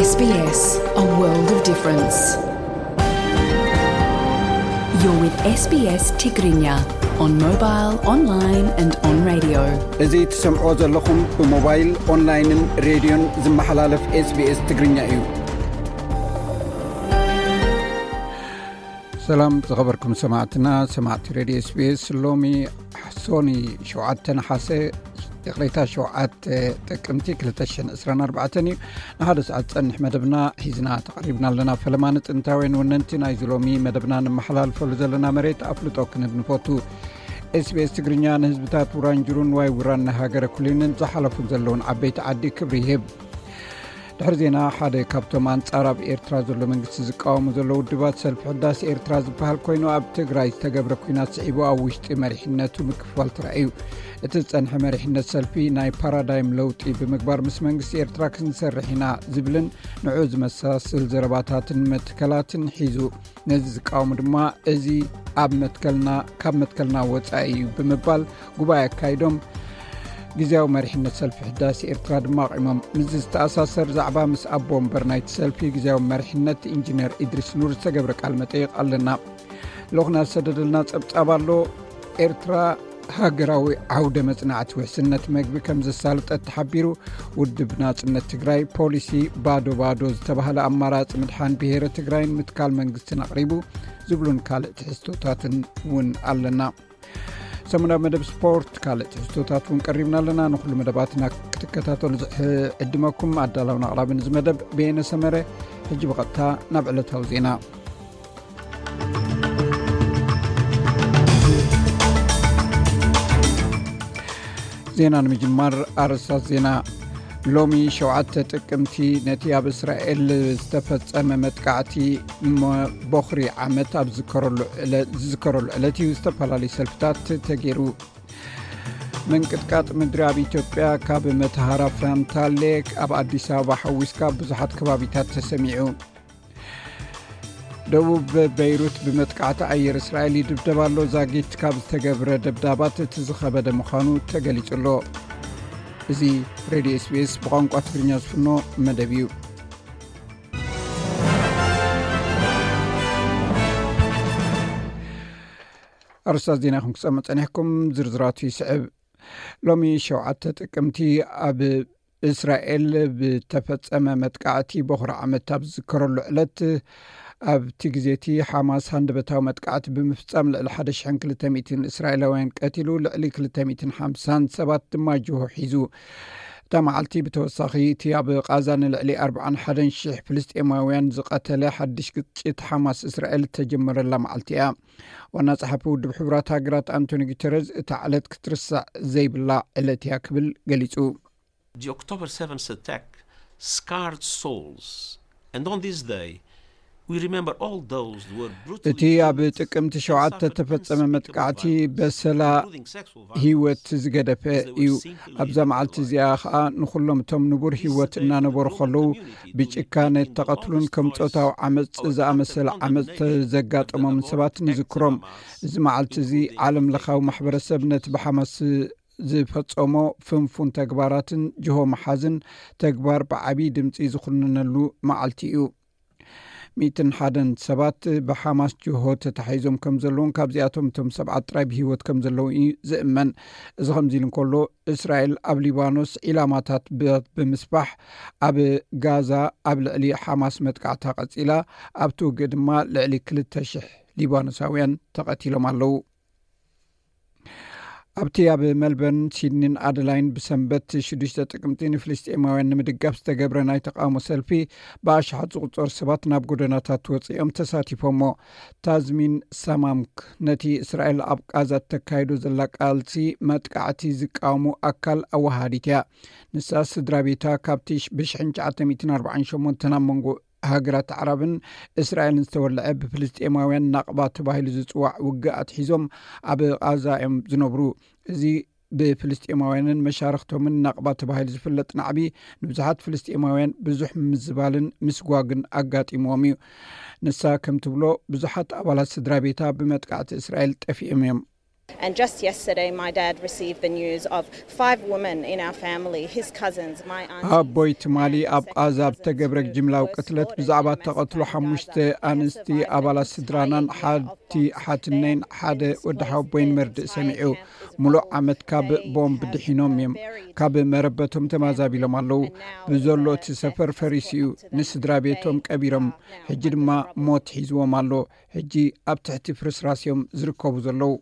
S B S, a world of difference. You're with S B S Tigrinya on mobile, online and on radio. እዚ ትሰምዕዎ ዘለኹም ብሞባይል፣ ኦንላይንን ሬድዮን ዝመሓላለፍ S B S ትግርኛ እዩ። ሰላም ዝኸበርኩም ሰማዕትና፣ ሰማዕቲ ሬድዮ S B S። ሎሚ ሶኒ ሸውዓተ ነሓሰ፣ ይቕሬታ፣ ሸውዓተ ጥቅምቲ ክልተ ሽሕን ዕስራን ኣርባዕተን እዩ። ንሓደ ሰዓት ዝጸንሕ መደብና ሒዝና ተቐሪብና ኣለና። ፈለማ ንጥንታውያን ወነንቲ ናይዚ ሎሚ መደብና ንመሓላልፈሉ ዘለና መሬት ኣፍልጦ ክንህብ ንፈቱ። S B S ትግርኛ ንህዝብታት ውራንጁሩን ዋይ ውራን ንሃገረ ኩሊንን ዝሓለፉን ዘለውን ዓበይቲ ዓዲ ክብሪ ይህብ። ድሕሪ ዜና፣ ሓደ ካብቶም ኣንጻር ኣብ ኤርትራ ዘሎ መንግስቲ ዝቃወሙ ዘለዉ ውድባት ሰልፊ ሕዳስ ኤርትራ ዝበሃል ኮይኑ፣ ኣብ ትግራይ ዝተገብረ ኲናት ስዒቡ ኣብ ውሽጢ መሪሕነቱ ምክፍፋል ተራእዩ። እቲ ዝጸንሐ መሪሕነት ሰልፊ ናይ ፓራዳይም ለውጢ ብምግባር ምስ መንግስቲ ኤርትራ ክንሰርሕ ኢና ዝብልን ንዑ ዝመሳስል ዘረባታትን መትከላትን ሒዙ፣ ነዚ ዝቃወሙ ድማ እዚ ኣብ መትከልና፣ ካብ መትከልና ወጻኢ እዩ ብምባል ጉባኤ ኣካይዶም ግዜያዊ መሪሕነት ሰልፊ ሕዳሴ ኤርትራ ድማ ኣቕሞም። ምስዚ ዝተኣሳሰር ዛዕባ ምስ ኣቦ ወንበር ናይቲ ሰልፊ ግዜያዊ መሪሕነት ኢንጂነር ኢድሪስ ኑር ዝተገብረ ቃል መጠይቕ ኣለና። ልኡኽና ዝሰደደልና ጸብጻብ ኣሎ። ኤርትራ ሃገራዊ ዓውደ መጽናዕቲ ውሕስነት መግቢ ከም ዘሳለጠት ተሓቢሩ። ውድብ ናጽነት ትግራይ ፖሊሲ ባዶ ባዶ ዝተባህለ ኣማራጺ ምድሓን ብሄረ ትግራይን ምትካል መንግስትን ኣቕሪቡ ዝብሉን ካልእ ትሕዝቶታትን እውን ኣለና። ሰሙናዊ መደብ ስፖርት፣ ካልእ ትሕዝቶታት እውን ቀሪብና ኣለና። ንኹሉ መደባትና ክትከታተሉ ዝዕድመኩም ኣዳላውን ኣቕራብን እዚ መደብ በየነ ሰመረ። ሕጂ ብቐጥታ ናብ ዕለታዊ ዜና። ዜና ንምጅማር ኣርእስታት ዜና። ሎሚ ሸውዓተ ጥቅምቲ ነቲ ኣብ እስራኤል ዝተፈጸመ መጥቃዕቲ ሞ-፣ ቦኽሪ ዓመት ኣብ ዝዝከረሉ ዕለ-፣ ዝዝከረሉ ዕለት እዩ። ዝተፈላለዩ ሰልፍታት ተገይሩ። ምንቅጥቃጥ ምድሪ ኣብ ኢትዮጵያ ካብ መተሃራ ፈንታሌ ኣብ ኣዲስ ኣበባ ሓዊስካ ብዙሓት ከባቢታት ተሰሚዑ። ደቡብ በይሩት ብመጥቃዕቲ ኣየር እስራኤል ይድብደብ ኣሎ። ዛጊት ካብ ዝተገብረ ደብዳባት እቲ ዝኸበደ ምዃኑ ተገሊጹ ኣሎ። እዚ ሬድዮ S B S ብቋንቋ ትግርኛ ዝፍኖ መደብ እዩ። ኣርእስታት ዜና ኢኹም ክሰምዑ ጸኒሕኩም፣ ዝርዝራቱ ይስዕብ። ሎሚ ሸውዓተ ጥቅምቲ ኣብ እስራኤል ብተፈጸመ መጥቃዕቲ በኹሪ ዓመት ኣብ ዝዝከረሉ ዕለት፣ ኣብቲ ግዜ እቲ ሓማስ ሃንደበታዊ መጥቃዕቲ ብምፍጻም ልዕሊ ሓደ ሽሕን ክልተ ሚእትን እስራኤላውያን ቀቲሉ፣ ልዕሊ ክልተ ሚእትን ሓምሳን ሰባት ድማ ጅሆ ሒዙ። እታ መዓልቲ ብተወሳኺ እቲ ኣብ ቃዛ ንልዕሊ ኣርባዓን ሓደን ሽሕ ፍልስጤማውያን ዝቐተለ ሓድሽ ግጭት ሓማስ እስራኤል እተጀመረላ መዓልቲ እያ። ዋና ጸሓፊ ውድብ ሕቡራት ሃገራት ኣንቶኒ ጉተረዝ፣ እታ ዕለት ክትርሳዕ ዘይብላ ዕለት እያ ክብል ገሊጹ። The October seventh attack scarred souls, and on this day, we remember all those who were brutally እቲ ኣብ killed ጥቅምቲ and ሸውዓተ suffered ተፈጸመ unspeakable መጥቃዕቲ violence, በሰላ including sexual violence, ህይወት ዝገደፈ as they were እዩ። simply ኣብዛ living መዓልቲ their እዚኣ lives. ኸኣ ንኹሎም እቶም ንቡር ህይወት እናነበሩ ኸለዉ ብጭካነ ተቐትሉን ከም ጾታዊ ዓመጽ ዝኣመሰለ ዓመጽ ዘጋጠሞምን ሰባት ንዝክሮም። እዚ መዓልቲ እዚ ዓለም ለኻዊ ማሕበረሰብ ነቲ ብሓማስ ዝፈጸሞ ፍንፉን ተግባራትን ጅሆ መሓዝን ተግባር ብዓቢ ድምጺ ዝኹንነሉ መዓልቲ እዩ። ሚእትን ሓደን ሰባት ብሓማስ ጅሆ ተታሒዞም ከም ዘለውን ካብዚኣቶም እቶም ሰብዓት ጥራይ ብህይወት ከም ዘለዉ እዩ ዝእመን። እዚ ከምዚ ኢሉ እንከሎ፣ እስራኤል ኣብ ሊባኖስ ዒላማታት ብ-፣ ብምስፋሕ ኣብ ጋዛ ኣብ ልዕሊ ሓማስ መጥቃዕታ ቀጺላ፣ ኣብቲ ውግእ ድማ ልዕሊ ክልተ ሽሕ ሊባኖሳውያን ተቐቲሎም ኣለዉ። ኣብቲ ኣብ መልበርን፣ ሲድኒን ኣደላይን ብሰንበት ሽዱሽተ ጥቅምቲ ንፍልስጤማውያን ንምድጋፍ ዝተገብረ ናይ ተቃውሞ ሰልፊ ብኣሽሓት ዝቑጸሩ ሰባት ናብ ጎደናታት ወጺኦም ተሳቲፎሞ። ታዝሚን ሳማምክ ነቲ እስራኤል ኣብ ቃዛ እተካይዶ ዘላ ቃልሲ መጥቃዕቲ ዝቃወሙ ኣካል ኣወሃሃዲት እያ። ንሳ ስድራ ቤታ ካብቲ ሽ-፣ ብሽሕን ትሽዓተ ሚእትን ኣርባዓን ሸሞንተን ኣብ መንጎ ሃገራት ዓረብን እስራኤልን ዝተወልዐ ብፍልስጤማውያን ናቕባ ተባሂሉ ዝጽዋዕ ውግእ ኣትሒዞም ኣብ ቓዛ እዮም ዝነብሩ። እዚ ብፍልስጤማውያንን መሻርኽቶምን ናቕባ ተባሂሉ ዝፍለጥ ናዕቢ ንብዙሓት ፍልስጤማውያን ብዙሕ ምዝባልን ምስጓግን ኣጋጢምዎም እዩ። ንሳ ከም ትብሎ ብዙሓት ኣባላት ስድራ ቤታ ብመጥቃዕቲ እስራኤል ጠፊኦም እዮም። And just yesterday, my dad received the news of five women in our family, his cousins, my aunties. ኣቦይ ትማሊ ኣብ ቓዛ ብተገብረ ጅምላዊ ቅትለት ብዛዕባ ተቐትሎ ሓሙሽተ ኣንስቲ ኣባላት ስድራናን ሓቲ ሓትነይን ሓደ ወዲ ሓቦይን መርድእ ሰሚዑ። ሙሉእ ዓመት ካብ ቦምብ ድሒኖም እዮም። ካብ መረበቶም ተማዛቢሎም ኣለዉ። ብዘሎ እቲ ሰፈር ፈሪሱ እዩ። ንስድራ ቤቶም ቀቢሮም፣ ሕጂ ድማ ሞት ሒዝዎም ኣሎ። ሕጂ ኣብ ትሕቲ ፍርስራስ እዮም ዝርከቡ ዘለዉ።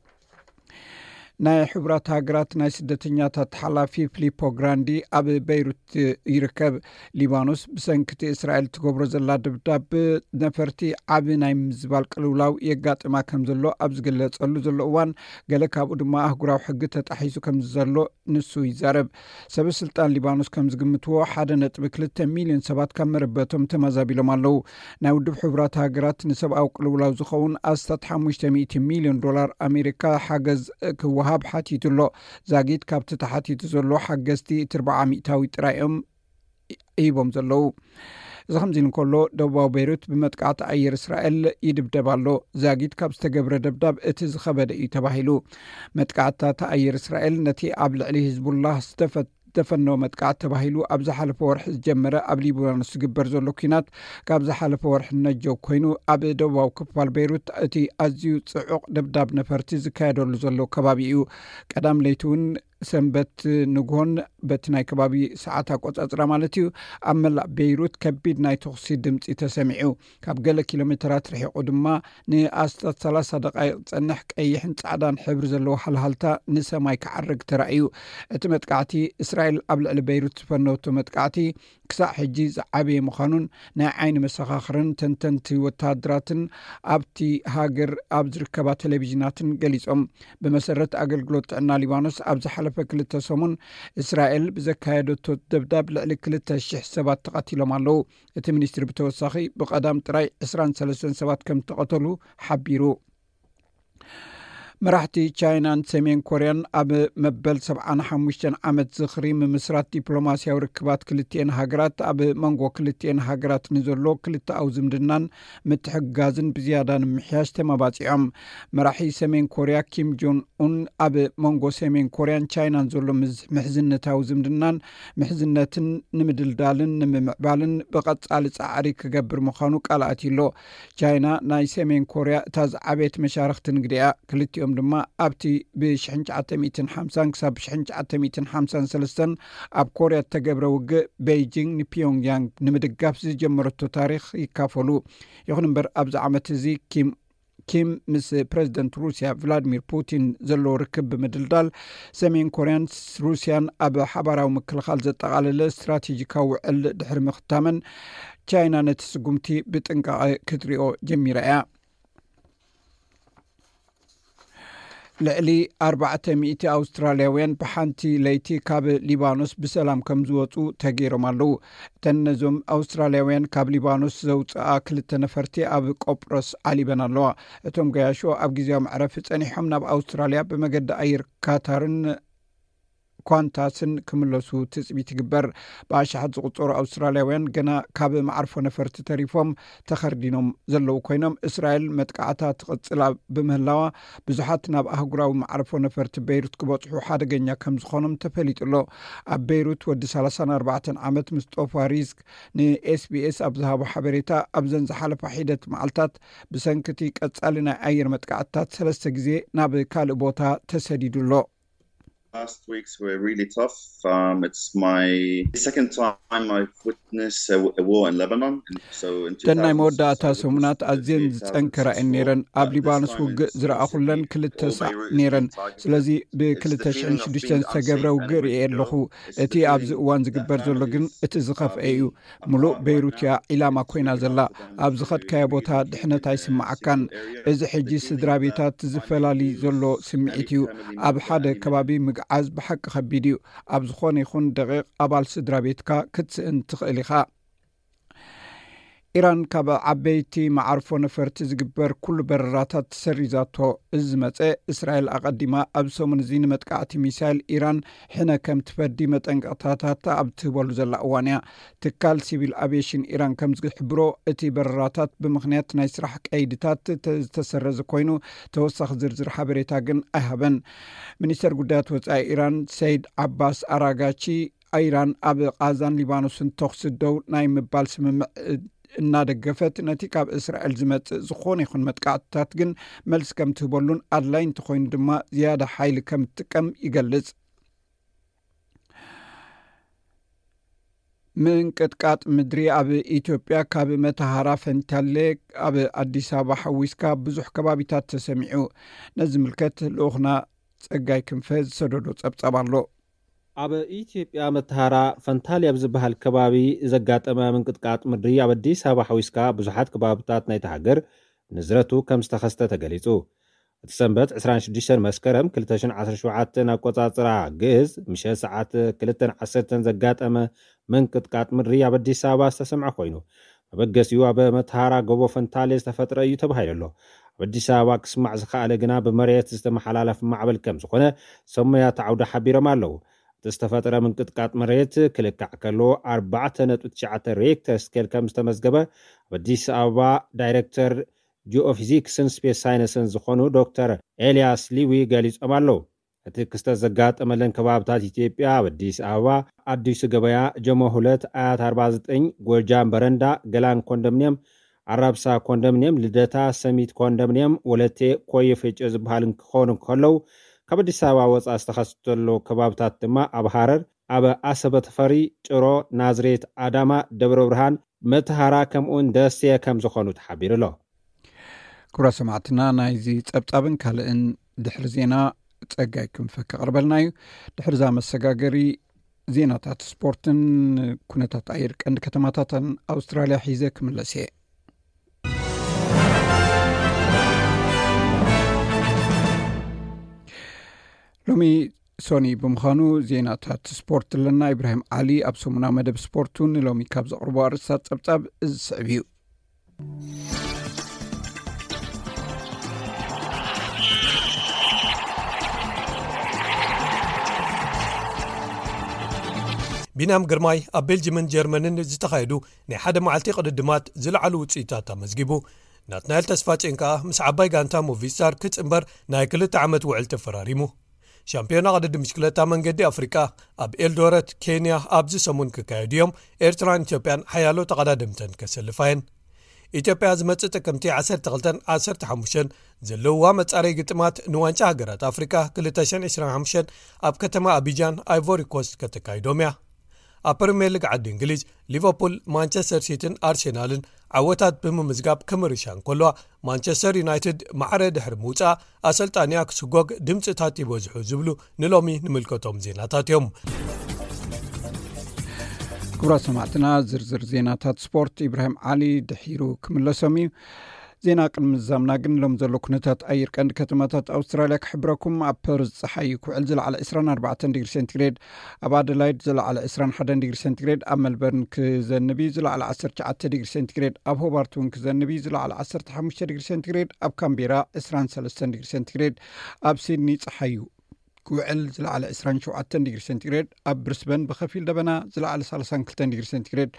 ናይ ሕቡራት ሃገራት ናይ ስደተኛታት ሓላፊ ፊሊፖ ግራንዲ ኣብ በይሩት ይርከብ። ሊባኖስ ብሰንኪ እቲ እስራኤል ትገብሮ ዘላ ድብዳብ ነፈርቲ ዓቢ ናይ ምዝባል ቅልውላው የጋጥማ ከም ዘሎ ኣብ ዝገለጸሉ ዘሎ እዋን፣ ገለ ካብኡ ድማ ኣህጉራዊ ሕጊ ተጣሒሱ ከም ዘሎ ንሱ ይዛረብ። ሰበ ስልጣን ሊባኖስ ከም ዝግምትዎ፣ ሓደ ነጥቢ ክልተ ሚልዮን ሰባት ካብ መረበቶም ተማዛቢሎም ኣለዉ። ናይ ውድብ ሕቡራት ሃገራት ንሰብኣዊ ቅልውላው ዝኸውን ኣስታት ሓሙሽተ ሚእቲ ሚልዮን ዶላር ኣሜሪካ ሓገዝ ክወሃብ ሓቲቱ ኣሎ። ዛጊት ካብቲ ተሓቲቱ ዘሎ ሓገዝቲ እቲ ኣርብዓ ሚእታዊ ጥራይ እዮም ሂቦም ዘለዉ። እዚ ከምዚ ኢሉ እንከሎ፣ ደቡባዊ ቤይሩት ብመጥቃዕቲ ኣየር እስራኤል ይድብደብ ኣሎ። ዛጊት ካብ ዝተገብረ ደብዳብ እቲ ዝኸበደ እዩ ተባሂሉ። መጥቃዕትታት ኣየር እስራኤል ነቲ ኣብ ልዕሊ ሂዝቡላህ ዝተፈ- ዝተፈነወ መጥቃዕቲ ተባሂሉ ኣብ ዝሓለፈ ወርሒ ዝጀመረ ኣብ ሊባኖስ ዝግበር ዘሎ ኲናት ካብ ዝሓለፈ ወርሒ ነጀው ኮይኑ፣ ኣብ ደቡባዊ ክፋል ቤይሩት እቲ ኣዝዩ ጽዑቕ ደብዳብ ነፈርቲ ዝካየደሉ ዘሎ ከባቢ እዩ። ቀዳም ለይቲ እውን ሰንበት ንግሆን በቲ ናይ ከባቢ ሰዓት ኣቆጻጽራ ማለት እዩ፣ ኣብ መላእ ቤይሩት ከቢድ ናይ ተኹሲ ድምጺ ተሰሚዑ። ካብ ገለ ኪሎ ሜተራት ርሒቑ ድማ ንኣስታት ሰላሳ ደቓይቕ ዝጸንሕ ቀይሕን ጻዕዳን ሕብሪ ዘለዎ ሃልሃልታ ንሰማይ ክዓርግ ተራእዩ። እቲ መጥቃዕቲ እስራኤል ኣብ ልዕሊ ቤይሩት ዝፈነወቶ መጥቃዕቲ ክሳዕ ሕጂ ዝዓበየ ምዃኑን ናይ ዓይኒ መሰኻኽርን ተንተንቲ ወተሃደራትን ኣብቲ ሃገር ኣብ ዝርከባ ቴሌቪዥናትን ገሊጾም። ብመሰረት ኣገልግሎት ጥዕና ሊባኖስ፣ ኣብ ዝሓለፈ ክልተ ሰሙን እስራኤል ብዘካየደቶ ደብዳብ ልዕሊ ክልተ ሽሕ ሰባት ተቐቲሎም ኣለዉ። እቲ ሚኒስትሪ ብተወሳኺ ብቐዳም ጥራይ ዕስራን ሰለስተን ሰባት ከም ተቐተሉ ሓቢሩ። መራሕቲ ቻይናን ሰሜን ኮርያን ኣብ መበል ሰብዓን ሓሙሽተን ዓመት ዝኽሪ ምምስራት ዲፕሎማስያዊ ርክባት ክልቲኤን ሃገራት፣ ኣብ መንጎ ክልቲኤን ሃገራት ንዘሎ ክልተኣዊ ዝምድናን ምትሕግጋዝን ብዝያዳ ንምምሕያሽ ተመባጺዖም። መራሒ ሰሜን ኮርያ ኪም ጆን ኡን ኣብ መንጎ ሰሜን ኮርያን ቻይናን ዘሎ ምዝ- ምሕዝነታዊ ዝምድናን ምሕዝነትን ንምድልዳልን ንምምዕባልን ብቐጻሊ ጻዕሪ ክገብር ምዃኑ ቃል ኣትዩ ኣሎ። ቻይና ናይ ሰሜን ኮርያ እታ ዝዓበየት መሻርኽቲ ንግዲ እያ። ክልቲኦም ድማ ኣብቲ ብ ሽሕን ትሽዓተ ሚእትን ሓምሳን ክሳብ ብ ሽሕን ትሽዓተ ሚእትን ሓምሳን ሰለስተን ኣብ ኮርያ እተገብረ ውግእ፣ ቤይጂንግ ንፒዮንግያንግ ንምድጋፍ ዝጀመረቶ ታሪኽ ይካፈሉ። ይኹን እምበር፣ ኣብዚ ዓመት እዚ ኪም ኪም ምስ ፕረዚደንት ሩስያ ቭላድሚር ፑቲን ዘለዎ ርክብ ብምድልዳል፣ ሰሜን ኮርያን ሩስያን ኣብ ሓባራዊ ምክልኻል ዘጠቓለለ ስትራቴጂካዊ ውዕል ድሕሪ ምኽታመን፣ ቻይና ነቲ ስጉምቲ ብጥንቃቐ ክትሪኦ ጀሚራ እያ። ልዕሊ ኣርባዕተ ሚእቲ ኣውስትራልያውያን ብሓንቲ ለይቲ ካብ ሊባኖስ ብሰላም ከም ዝወፁ ተገይሮም ኣለዉ። እተን ነዞም ኣውስትራልያውያን ካብ ሊባኖስ ዘውፅኣ ክልተ ነፈርቲ ኣብ ቆጵሮስ ዓሊበን ኣለዋ። እቶም ገያሾ ኣብ ግዜያዊ መዕረፊ ጸኒሖም ናብ ኣውስትራልያ ብመገዲ ኣየር ካታርን ኳንታስን ክምለሱ ትጽቢት ይግበር። ብኣሽሓት ዝቑጸሩ ኣውስትራልያውያን ገና ካብ መዓርፎ ነፈርቲ ተሪፎም ተኸርዲኖም ዘለዉ ኮይኖም፣ እስራኤል መጥቃዕታ ትቕጽላ ብምህላዋ፣ ብዙሓት ናብ ኣህጉራዊ መዓርፎ ነፈርቲ ቤይሩት ክበጽሑ ሓደገኛ ከም ዝኾኖም ተፈሊጡ ኣሎ። ኣብ ቤይሩት ወዲ ሰላሳን ኣርባዕተን ዓመት ምስጦፋ ሪዝክ ንኤስቢኤስ ኣብ ዝሃቦ ሓበሬታ፣ ኣብዘን ዝሓለፋ ሒደት መዓልታት ብሰንኪ እቲ ቀጻሊ ናይ ኣየር መጥቃዕትታት ሰለስተ ግዜ ናብ ካልእ ቦታ ተሰዲዱ ኣሎ። Last weeks were really tough. Um, it's my second time I've witnessed a, a war in Lebanon. And so in እተን ናይ መወዳእታ ሰሙናት ኣዝየን ዝጸንከራ እየን ነይረን። ኣብ ሊባኖስ ውግእ ዝረኣኹለን ክልተ ሳዕ ነይረን። ስለዚ ብ ክልተ ሽሕን ሽዱሽተን ዝተገብረ ውግእ ርእየ ኣለኹ። እቲ ኣብዚ እዋን ዝግበር ዘሎ ግን እቲ ዝኸፍአ እዩ። ምሉእ ቤይሩት እያ ዒላማ ኮይና ዘላ። ኣብ ዝኸድካዮ ቦታ ድሕነት ኣይስምዓካን። እዚ ሕጂ ስድራ ቤታት ዝፈላሊ ዘሎ ስምዒት እዩ። ኣብ ሓደ ከባቢ ምግዓዝ ብሓቂ ከቢድ እዩ። ኣብ ዝኾነ ይኹን ደቂቕ ኣባል ስድራ ቤትካ ክትስእን ትኽእል ኢኻ። ኢራን ካብ ዓበይቲ መዓርፎ ነፈርቲ ዝግበር ኩሉ በረራታት ሰሪዛቶ። እዚ ዝመጸ፣ እስራኤል ኣቐዲማ ኣብ ሰሙን እዚ ንመጥቃዕቲ ሚሳይል ኢራን ሕነ ከም ትፈዲ መጠንቀቕታታት ኣብ ትህበሉ ዘላ እዋን እያ። ትካል ሲቪል ኣቪዬሽን ኢራን ከም ዝሕብሮ፣ እቲ በረራታት ብምኽንያት ናይ ስራሕ ቀይድታት ተ-፣ ዝተሰረዘ ኮይኑ፣ ተወሳኺ ዝርዝር ሓበሬታ ግን ኣይሃበን። ሚኒስተር ጉዳያት ወጻኢ ኢራን ሰይድ ዓባስ ኣራጋቺ፣ ኢራን ኣብ ቓዛን ሊባኖስን ተኹሲ ደው ናይ ምባል ስምምዕ እናደገፈት፣ ነቲ ካብ እስራኤል ዝመጽእ ዝኾነ ይኹን መጥቃዕትታት ግን መልሲ ከም ትህበሉን ኣድላይ እንተኾይኑ ድማ ዝያዳ ሓይሊ ከም ትጥቀም ይገልጽ። ምንቅጥቃጥ ምድሪ ኣብ ኢትዮጵያ ካብ መተሃራ ፈንታሌ ኣብ ኣዲስ ኣበባ ሓዊስካ ብዙሕ ከባቢታት ተሰሚዑ። ነዚ ምልከት ልኡኽና ጸጋይ ክንፈ ዝሰደዶ ጸብጻብ ኣሎ። ኣብ ኢትዮጵያ መተሃራ ፈንታሌ ኣብ ዝበሃል ከባቢ ዘጋጠመ ምንቅጥቃጥ ምድሪ ኣብ ኣዲስ ኣበባ ሓዊስካ ብዙሓት ከባቢታት ናይቲ ሃገር ንዝረቱ ከም ዝተኸስተ ተገሊጹ። እቲ ሰንበት ዕስራን ሽዱሽተን መስከረም ክልተ ሽሕን ዓሰርተ ሸውዓተን ኣቆጻጽራ ግእዝ ምሸት ሰዓት ክልተን ዓሰርተን ዘጋጠመ ምንቅጥቃጥ ምድሪ ኣብ ኣዲስ ኣበባ ዝተሰምዐ ኮይኑ፣ መበገሲኡ ኣብ መተሃራ ጎቦ ፈንታሌ ዝተፈጥረ እዩ ተባሂሉ ኣሎ። ኣብ ኣዲስ ኣበባ ክስማዕ ዝኸኣለ ግና ብመሬት ዝተመሓላለፍ ማዕበል ከም ዝኾነ ሰብ ሞያታት ዓውዲ ሓቢሮም ኣለዉ። እቲ ዝተፈጠረ ምንቅጥቃጥ መሬት ክልካዕ ከሎ ኣርባዕተ ነጥቢ ትሽዓተ ሬክተር ስኬል ከም ዝተመዝገበ ኣብ ኣዲስ ኣበባ ዳይሬክተር ጂኦፊዚክስን ስፔስ ሳይንስን ዝኾኑ ዶክተር ኤልያስ ሊዊ ገሊጾም ኣለዉ። እቲ ክስተት ዘጋጠመለን ከባብታት ኢትዮጵያ ኣብ ኣዲስ ኣበባ፣ ኣዲሱ ገበያ፣ ጀሞ ሁለት፣ ኣያት ኣርባ ዘጠኝ፣ ጎጃም በረንዳ፣ ገላን ኮንዶሚንየም፣ ኣራብሳ ኮንዶሚንየም፣ ልደታ፣ ሰሚት ኮንዶሚንየም፣ ወለቴ፣ ኮየ ፈጮ ዝበሃል ክኾኑ ከለዉ፣ ካብ ኣዲስ ኣበባ ወጻኢ ዝተኸስተ ዘሎ ከባብታት ድማ ኣብ ሃረር፣ ኣብ ኣሰበ ተፈሪ፣ ጭሮ፣ ናዝሬት፣ ኣዳማ፣ ደብረ ብርሃን፣ መተሃራ ከምኡውን ደሴ ከም ዝኾኑ ተሓቢሩ ኣሎ። ክቡራት ሰማዕትና፣ ናይዚ ጸብጻብን ካልእን ድሕሪ ዜና ጸጋይ ክንፈ ከቕርበልና እዩ። ድሕሪ እዛ መሰጋገሪ ዜናታት ስፖርትን ኩነታት ኣየር ቀንዲ ከተማታትን ኣውስትራልያ ሒዘ ክምለስ እየ። ሎሚ ሶኒ ብምዃኑ ዜናታት ስፖርት ኣለና። ኢብራሂም ዓሊ ኣብ ሰሙናዊ መደብ ስፖርቱ ንሎሚ ካብ ዘቕርቦ ኣርእስታት ጸብጻብ እዚ ዝስዕብ እዩ። ቢንያም ግርማይ ኣብ ቤልጅምን ጀርመንን ዝተኻየዱ ናይ ሓደ መዓልቲ ቅድድማት ዝለዓሉ ውጽኢታት ኣመዝጊቡ። ናትናኤል ተስፋጽዮን ከኣ ምስ ዓባይ ጋንታ ሞቪስታር ክጽንበር ናይ ክልተ ዓመት ውዕል ተፈራሪሙ። ሻምፒዮና ቅድድም ብሽክለታ መንገዲ ኣፍሪቃ ኣብ ኤልዶረት ኬንያ ኣብዚ ሰሙን ክካየዱ እዮም። ኤርትራን ኢትዮጵያን ሓያሎ ተቐዳደምተን ከሰልፋ እየን። ኢትዮጵያ ዝመጽእ ጥቅምቲ ዓሰርተ ክልተን ዓሰርተ ሓሙሽተን ዘለውዋ መጻረይ ግጥማት ንዋንጫ ሃገራት ኣፍሪቃ ክልተ ሽሕን ዕስራን ሓሙሽተን ኣብ ከተማ ኣቢጃን ኣይቮሪ ኮስት ከተካይዶም እያ። ኣብ ፕሪምየር ሊግ ዓዲ እንግሊዝ ሊቨርፑል፣ ማንቸስተር ሲቲን ኣርሴናልን ዓወታት ብምምዝጋብ ክምርሻ እንከለዋ፣ ማንቸስተር ዩናይትድ ማዕረ ድሕሪ ምውጻእ ኣሰልጣኒኣ ክስጎግ ድምጽታት ይበዝሑ ዝብሉ ንሎሚ ንምልከቶም ዜናታት እዮም። ክቡራት ሰማዕትና፣ ዝርዝር ዜናታት ስፖርት ኢብራሂም ዓሊ ድሒሩ ክምለሶም እዩ። ዜና ቅድሚ ምዛምና ግን ሎም ዘሎ ኩነታት ኣየር ቀንዲ ከተማታት ኣውስትራልያ ክሕብረኩም። ኣብ ፐርዝ ጸሓይ ክውዕል ዝለዓለ ዕስራን ኣርባዕተን ዲግሪ ሴንቲግሬድ፣ ኣብ ኣደላይድ ዝለዓለ ዕስራን ሓደን ዲግሪ ሴንቲግሬድ፣ ኣብ መልበርን ክዘንብ እዩ ዝለዓለ ዓሰርተ ትሽዓተ ዲግሪ ሴንቲግሬድ፣ ኣብ ሆባርት እውን ክዘንብ እዩ ዝለዓለ ዓሰርተ ሓሙሽተ ዲግሪ ሴንቲግሬድ፣ ኣብ ካምቤራ ዕስራን ሰለስተን ዲግሪ ሴንቲግሬድ፣ ኣብ ሲድኒ ጸሓይ እዩ ክውዕል ዝለዓለ ዕስራን ሸውዓተን ዲግሪ ሴንቲግሬድ፣ ኣብ ብሪስበን ብኸፊል ደበና ዝለዓለ ሰላሳን ክልተን ዲግሪ ሴንቲግሬድ፣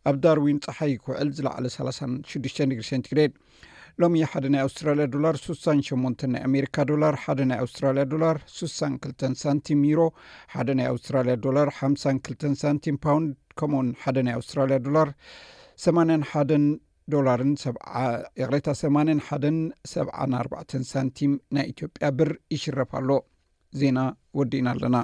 ኣብ ዳርዊን ጸሓይ ክውዕል ዝለዓለ ሰላሳን ሽዱሽተን ዲግሪ ሴንቲግሬድ። ሎሚ ሓደ ናይ ኣውስትራልያ ዶላር ስሳን ሸሞንተን ናይ ኣሜሪካ ዶላር፣ ሓደ ናይ ኣውስትራልያ ዶላር ስሳን ክልተን ሳንቲም፣ ዩሮ ሓደ ናይ ኣውስትራልያ ዶላር ሓምሳን ክልተን ሳንቲም፣ ፓውንድ ከምኡውን ሓደ ናይ ኣውስትራልያ ዶላር ሰማንያን ሓደን ዶላርን ሰብዓ፣ ይቕሬታ፣ ሰማንያን ሓደን ሰብዓን ኣርባዕተን ሳንቲም ናይ ኢትዮጵያ ብር ይሽረፍ ኣሎ። ዜና ወዲእና ኣለና።